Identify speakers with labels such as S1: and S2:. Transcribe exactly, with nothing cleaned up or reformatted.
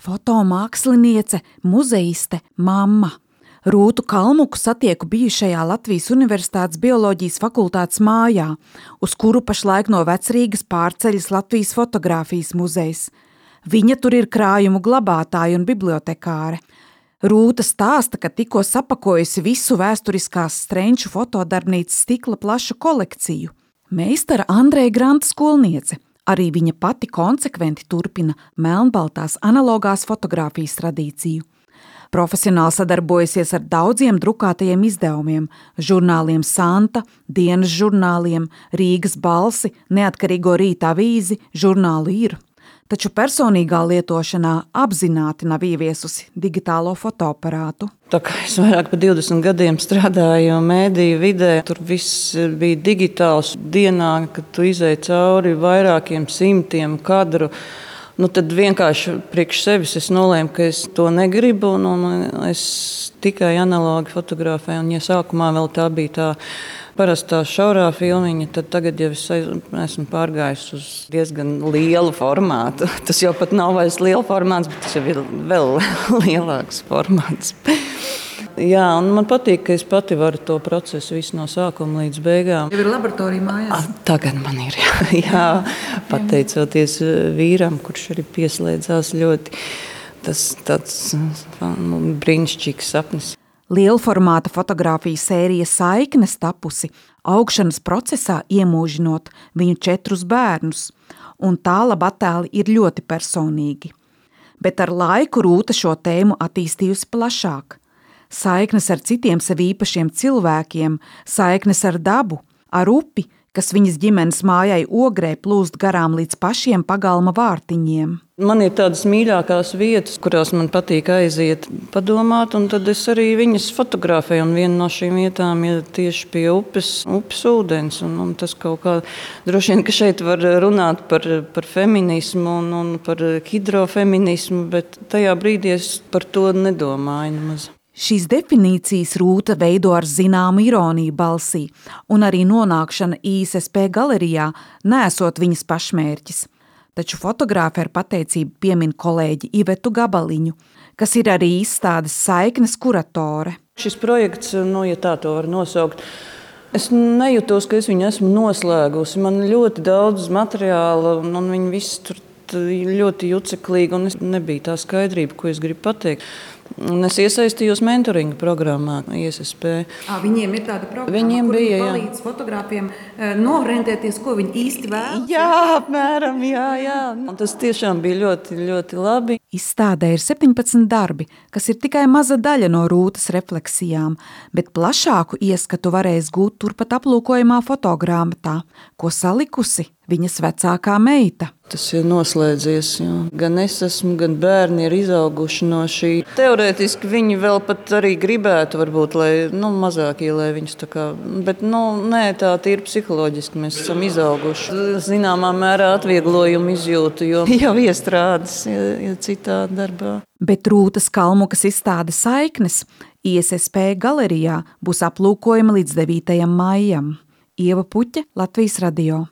S1: Fotomāksliniece, muzeiste, mamma. Rūtu Kalmuku satieku bijušajā Latvijas Universitātes bioloģijas fakultātes mājā, uz kuru pašlaik no Vecrīgas pārceļas Latvijas fotogrāfijas muzejs. Viņa tur ir krājumu glabātāja un bibliotekāre. Rūta stāsta, ka tikko sapakojusi visu vēsturiskās Strenču fotodarbnīcas stikla plašu kolekciju. Meistara Andreja Granta skolniece. Arī viņa pati konsekventi turpina melnbaltās analogās fotogrāfijas tradīciju. Profesionāli sadarbojusies ar daudziem drukātajiem izdevumiem, žurnāliem Santa, dienas žurnāliem, Rīgas balsi, Neatkarīgo Rīta avīzi, žurnālu Ir. Taču personīgā lietošanā apzināti nav ieviesusi digitālo fotoaparātu.
S2: Tā kā es vairāk par divdesmit gadiem strādāju mēdīju vidē, tur viss bija digitāls. Dienā, kad tu izej cauri vairākiem simtiem kadru, nu tad vienkārši priekš sevis es nolēmu, ka es to negribu, un, un es tikai analogi fotografēju. Un, ja sākumā vēl tā bija tā parastā šaurā filmiņa, tad tagad jau es esmu pārgājis uz diezgan lielu formātu. Tas jau pat nav vairs liela formāts, bet tas jau ir vēl lielāks formāts. Jā, un man patīk, ka es pati varu to procesu visu no sākuma līdz beigām.
S1: Tev ir laboratorija mājās?
S2: Tagad man ir, jā, jā pateicoties vīram, kurš arī pieslēdzās ļoti. Tas tāds nu, brīnišķīgs sapnis.
S1: Lielformāta fotogrāfijas sērija Saiknes tapusi augšanas procesā iemūžinot viņu četrus bērnus, un tālaba attēli ir ļoti personīgi. Bet ar laiku Rūta šo tēmu attīstījusi plašāk. Saiknes ar citiem sev īpašiem cilvēkiem, saiknes ar dabu, ar upi, kas viņas ģimenes mājai Ogrē plūst garām līdz pašiem pagalma vārtiņiem.
S2: Man ir tādas mīļākās vietas, kurās man patīk aiziet, padomāt, un tad es arī viņas fotografēju. Un viena no šīm vietām ir tieši pie upes, upes ūdens. Un, un tas kaut kā droši vien, ka šeit var runāt par, par feminismu un, un par hidrofeminismu, bet tajā brīdī es par to nedomāju nemaz.
S1: Šīs definīcijas Rūta veido ar zināmu ironiju balsī, un arī nonākšana I S S P galerijā neesot viņas pašmērķis. Taču fotogrāfe ar pateicību piemin kolēģi Ivetu Gabaliņu, kas ir arī izstādes Saiknes kuratore.
S2: Šis projekts, nu, ja tā to var nosaukt, es nejūtos, ka es viņu esmu noslēgusi. Man ļoti daudz materiāla, un, un viņi visi tur ļoti juceklīgi, un es nebija tā skaidrība, ko es gribu pateikt. Un es iesaistījos mentoringa programmā I S S P.
S1: À, viņiem ir tāda programma,
S2: viņiem
S1: kur
S2: bija,
S1: viņi palīdz fotogrāfiem norentēties, ko viņi īsti vēlas.
S2: Jā, apmēram, jā, jā. Un tas tiešām bija ļoti, ļoti labi.
S1: Izstādē ir septiņpadsmit darbi, kas ir tikai maza daļa no Rūtas refleksijām, bet plašāku ieskatu varēs gūt turpat aplūkojamā fotogrāmatā, ko salikusi viņas vecākā meita.
S2: Tas ir noslēdzies, jo gan es esmu, gan bērni ir izauguši no šī. Teorētiski viņi vēl pat arī gribētu, varbūt, lai nu, mazākie, lai viņus tā kā, bet nu, nē, tā tīri psiholoģiski mēs esam izauguši. Zināmā mērā atvieglojumu izjūtu, jo jau iestrādes, ja, ja citā darbā.
S1: Bet Rūtas Kalmukas izstāde Saiknes I S S P galerijā būs aplūkojama līdz devītajam maijam. Ieva Puķe, Latvijas radio.